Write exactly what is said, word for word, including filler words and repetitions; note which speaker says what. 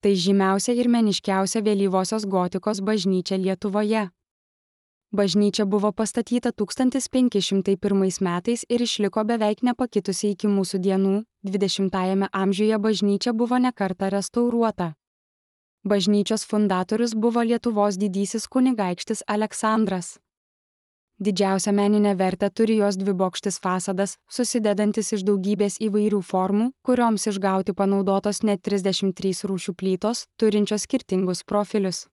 Speaker 1: Tai žymiausia ir meniškiausia vėlyvosios gotikos bažnyčia Lietuvoje. Bažnyčia buvo pastatyta tūkstantis penki šimtai pirmais metais ir išliko beveik nepakitusi iki mūsų dienų, dvidešimtajame amžiuje bažnyčia buvo ne kartą restauruota. Bažnyčios fundatorius buvo Lietuvos didysis kunigaikštis Aleksandras. Didžiausią meninę vertę turi jos dvibokštis fasadas, susidedantis iš daugybės įvairių formų, kurioms išgauti panaudotos net trisdešimt trys rūšių plytos, turinčios skirtingus profilius.